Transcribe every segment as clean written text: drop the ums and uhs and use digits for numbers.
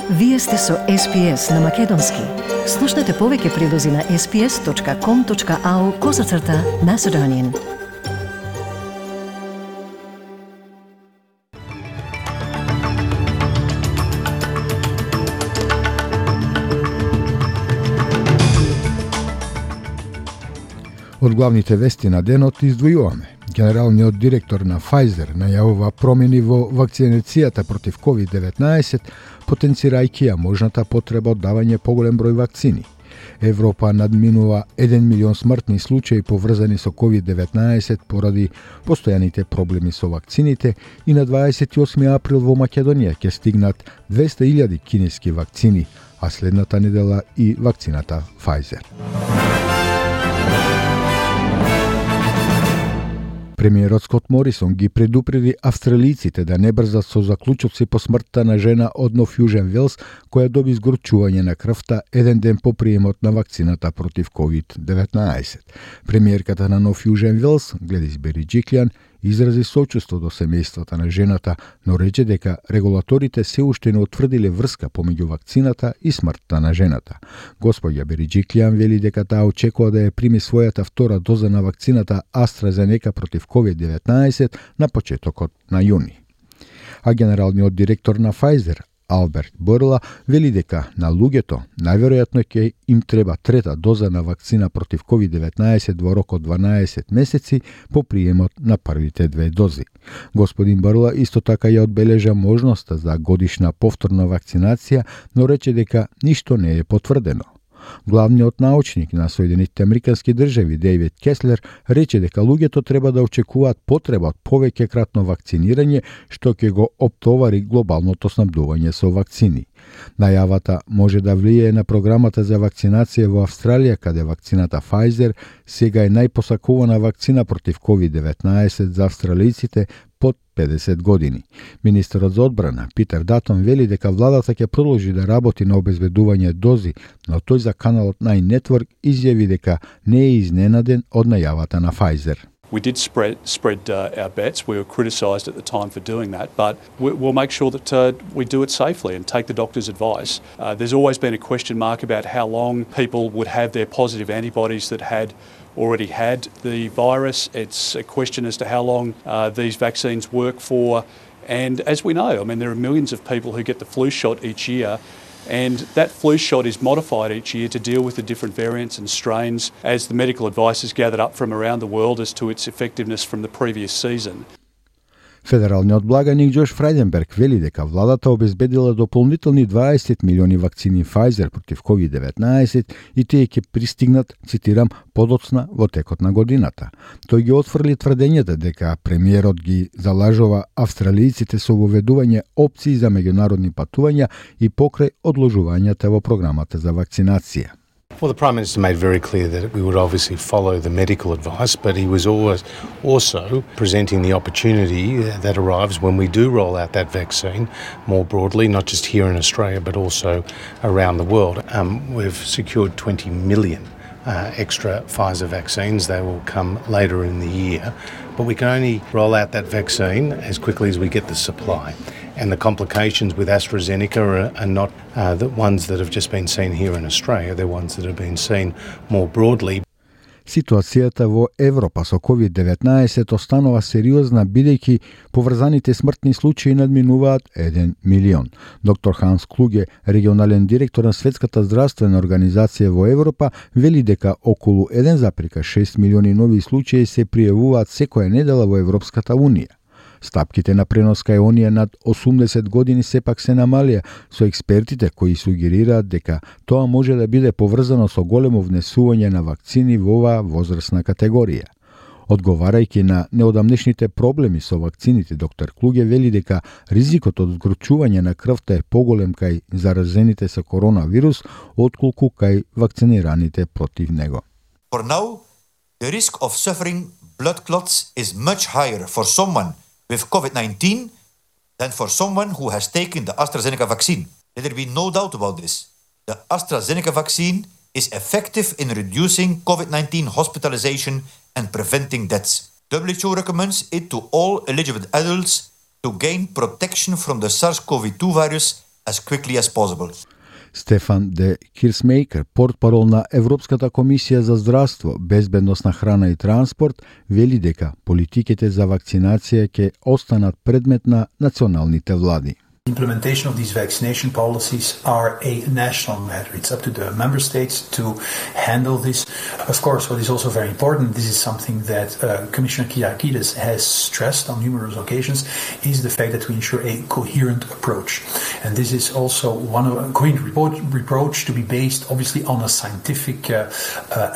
Вие сте со SPS на Македонски. Слушнете повеќе прилози на sps.com.au/Macedonian. Од главните вести на денот издвојуваме. Генералниот директор на Pfizer најавува промени во вакцинацијата против COVID-19, потенцирајќи ја можната потреба од давање поголем број вакцини. Европа надминува 1 милион смртни случаи поврзани со COVID-19 поради постојаните проблеми со вакцините и на 28 април во Македонија ќе стигнат 200.000 кинески вакцини, а следната недела и вакцината Pfizer. Премиерот Скот Морисон ги предупреди австралиците да не брзат со заклучоци по смртта на жена од Нов Јужен Велс, која доби згорчување на крвта еден ден по приемот на вакцината против COVID-19. Премиерката на Нов Јужен Велс, Гледис Бериџиклјан, изрази сочувство до семејствата на жената, но рече дека регулаторите се уште не утврдиле врска помеѓу вакцината и смртта на жената. Господја Бериџиклјан вели дека таа очекува да ја прими својата втора доза на вакцината AstraZeneca против COVID-19 на почетокот на јуни. А генералниот директор на Pfizer, Алберт Борла, вели дека на луѓето најверојатно ќе им треба трета доза на вакцина против COVID-19 во рок од 12 месеци по приемот на првите две дози. Господин Борла исто така ја одбележа можноста за годишна повторна вакцинација, но рече дека ништо не е потврдено. Главниот научник на Соединетите Американски држави Дејвид Кеслер рече дека луѓето треба да очекуваат потреба од повеќе кратно вакцинирање, што ќе го оптовари глобалното снабдување со вакцини. Најавата може да влијае на програмата за вакцинација во Австралија, каде вакцината Pfizer сега е најпосакувана вакцина против COVID-19 за австралиците под 50 години. Министерот за одбрана Питер Датон вели дека владата ќе продолжи да работи на обезбедување дози, но тој за каналот Nine Network изјави дека не е изненаден од најавата на Pfizer. We did spread our bets. We were criticised at the time for doing that, but we'll make sure that we do it safely and take the doctor's advice. There's always been a question mark about how long people would have their positive antibodies that had already had the virus. It's a question as to how long these vaccines work for. And as we know, I mean, there are millions of people who get the flu shot each year, and that flu shot is modified each year to deal with the different variants and strains as the medical advice is gathered up from around the world as to its effectiveness from the previous season. Федералниот благаник Џош Фрајденберг вели дека владата обезбедила дополнителни 20 милиони вакцини Pfizer против COVID-19 и тие ќе пристигнат, цитирам, подоцна во текот на годината. Тој ги отфрли тврдењата дека премиерот ги залажува австралиците со воведување опции за меѓународни патувања и покрај одложувањата во програмата за вакцинација. Well, the Prime Minister made very clear that we would obviously follow the medical advice, but he was always also presenting the opportunity that arrives when we do roll out that vaccine more broadly, not just here in Australia, but also around the world. We've secured 20 million extra Pfizer vaccines. They will come later in the year, but we can only roll out that vaccine as quickly as we get the supply. And the complications with AstraZeneca are not the ones that have just been seen here in Australia, they're ones that have been seen more broadly. Ситуацијата во Европа со COVID-19 останува сериозна, бидејќи поврзаните смртни случаи надминуваат 1 милион. Доктор Ханс Клуге, регионален директор на Светската здравствена организација во Европа, вели дека околу 1,6 милиони нови случаи се пријавуваат секоја недела во Европската Унија. Стапките на пренос кај оние над 80 години сепак се намалија, со експертите кои сугерираат дека тоа може да биде поврзано со големо внесување на вакцини во оваа возрастна категорија. Одговарајќи на неодамнешните проблеми со вакцините, доктор Клуге вели дека ризикот од згорчување на крвта е поголем кај заразените со коронавирус, отколку кај вакцинираните против него. For now, the risk of suffering blood clots is much higher for someone with COVID-19 than for someone who has taken the AstraZeneca vaccine. Let there be no doubt about this. The AstraZeneca vaccine is effective in reducing COVID-19 hospitalization and preventing deaths. WHO recommends it to all eligible adults to gain protection from the SARS-CoV-2 virus as quickly as possible. Стефан де Кирсмейкер, портпарол на Европската комисија за здравство, безбедност на храна и транспорт, вели дека политиките за вакцинација ќе останат предмет на националните влади. Implementation of these vaccination policies are a national matter. It's up to the member states to handle this. Of course, what is also very important, this is something that Commissioner Kyriakides has stressed on numerous occasions, is the fact that we ensure a coherent approach. And this is also one of a coherent approach to be based, obviously, on a scientific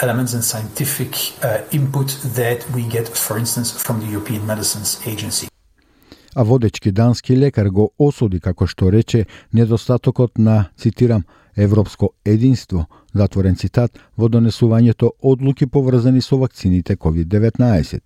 elements and scientific input that we get, for instance, from the European Medicines Agency. А водечки дански лекар го осуди, како што рече, недостатокот на, цитирам, европско единство, затворен цитат, во донесувањето одлуки поврзани со вакцините COVID-19.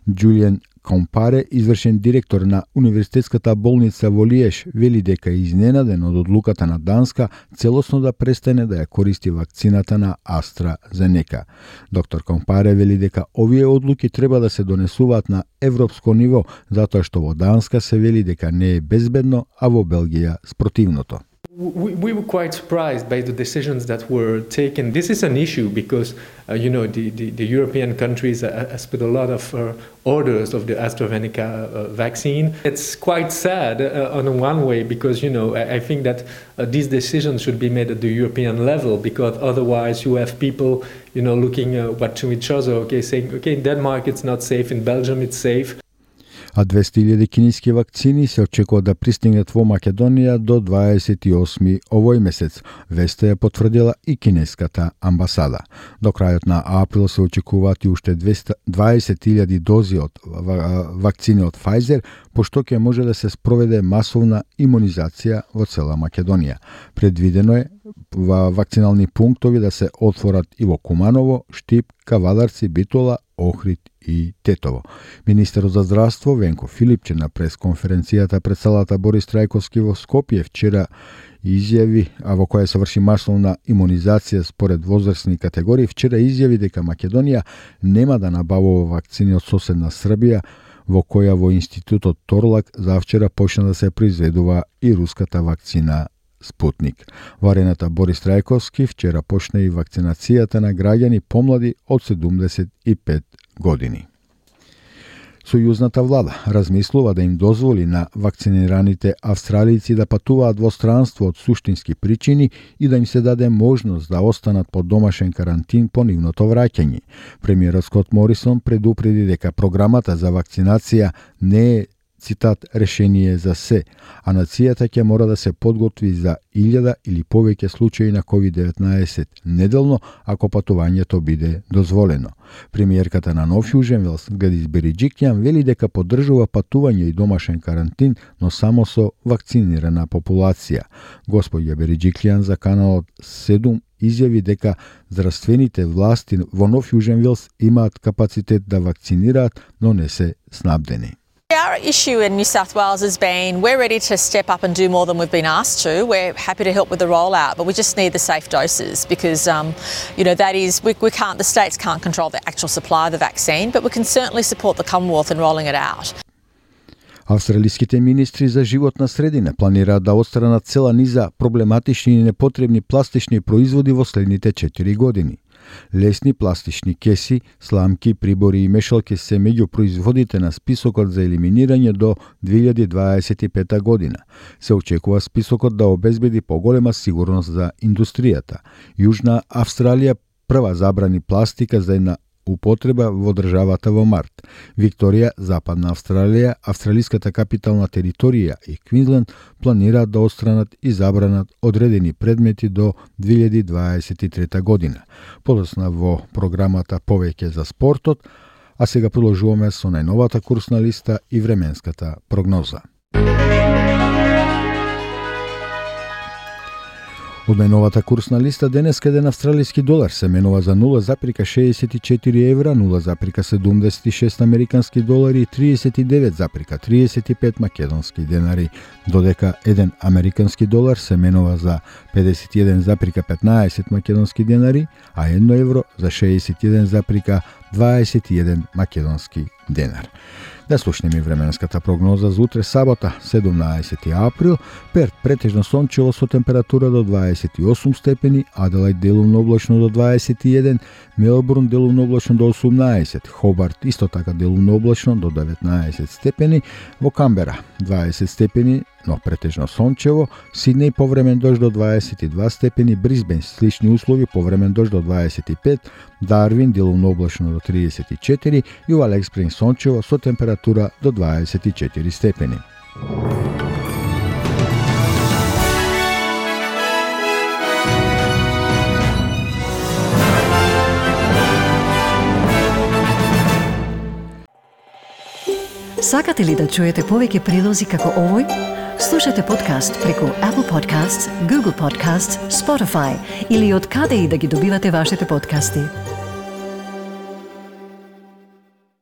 Џулиен Компаре, извршен директор на Универзитетската болница во Лиеж, вели дека е изненаден од одлуката на Данска целосно да престане да ја користи вакцината на AstraZeneca. Доктор Компаре вели дека овие одлуки треба да се донесуваат на европско ниво, затоа што во Данска се вели дека не е безбедно, а во Белгија спротивното. We were quite surprised by the decisions that were taken. This is an issue because, the European countries has put a lot of orders of the AstraZeneca vaccine. It's quite sad on one way because, I think that these decisions should be made at the European level because otherwise you have people, looking to each other, saying, in Denmark it's not safe, in Belgium it's safe. А 200.000 кинески вакцини се очекува да пристигнат во Македонија до 28 овој месец. Веста ја потврдила и кинеската амбасада. До крајот на април се очекуваат и уште 20.000 дози од вакцини од Pfizer, пошто ќе може да се спроведе масовна имунизација во цела Македонија. Предвидено е вакцинални пунктови да се отворат и во Куманово, Штип, Кавадарци, Битола, Охрид и Тетово. Министерот за здравство Венко Филипче на пресконференцијата пред салата Борис Трајковски во Скопје вчера изјави, а во која се врши масовна имунизација според возрастни категории, вчера изјави дека Македонија нема да набавува вакцини од соседна Србија, во која во институтот Торлак завчера почна да се произведува и руската вакцина Спутник. Во арената Борис Трајковски вчера почна и вакцинацијата на граѓани помлади од 75 години. Сојузната влада размислува да им дозволи на вакцинираните австралици да патуваат во странство од суштински причини и да им се даде можност да останат под домашен карантин по нивното враќање. Премиерот Скот Морисон предупреди дека програмата за вакцинација не е, цитат, решение за се, а нацијата ќе мора да се подготви за 1000 или повеќе случаи на COVID-19 неделно, ако патувањето биде дозволено. Премиерката на Нов Јужен Велс, Гледис Бериџикјан, вели дека поддржува патување и домашен карантин, но само со вакцинирана популација. Господја Бериџикјан за каналот 7 изјави дека здравствените власти во Нов Јужен Велс имаат капацитет да вакцинираат, но не се снабдени. Our issue in New South Wales has been we're ready to step up and do more than we've been asked to. We're happy to help with the rollout, but we just need the safe doses because, that is, the states can't control the actual supply of the vaccine, but we can certainly support the Commonwealth in rolling it out. Австралиските министри за животна средина планираат да отстранат цела низа проблематични и непотребни пластични производи во следните 4 години. Лесни пластични кеси, сламки, прибори и мешалки се меѓу производите на списокот за елиминирање до 2025 година. Се очекува списокот да обезбеди поголема сигурност за индустријата. Јужна Австралија прва забрани пластика за една употреба во државата во март. Викторија, Западна Австралија, австралиската капитална територија и Квинсленд планираат да отстранат и забранат одредени предмети до 2023 година. Подосна во програмата повеќе за спортот, а сега продолжуваме со најновата курсна листа и временската прогноза. Од најновата курсна листа денеска еден австралиски долар се менува за 0,64 евра, 0,76 американски долари и 39,35 македонски денари, додека еден американски долар се менува за 51,15 македонски денари, а 1 евро за 61,21 македонски денар. Да слушнеме временската прогноза за утре сабота, 17 април. Перт претежно сончево со температура до 28 степени, Аделајд делумно облачно до 21, Мелбурн делумно облачно до 18, Хобарт исто така делумно облачно до 19 степени, во Камбера 20 степени, но претежно сончево, Сиднеј повремен дожд до 22 степени, Брисбен слични услови, повремен дожд до 25, Дарвин делумно облачно до 34 и во Алекс Спрингс сончево со температура до 24 степени. Сакате ли да чуете повеќе прилози како овој? Слушате подкаст преку Apple Podcasts, Google Podcasts, Spotify или од каде и да ги добивате вашите подкасти.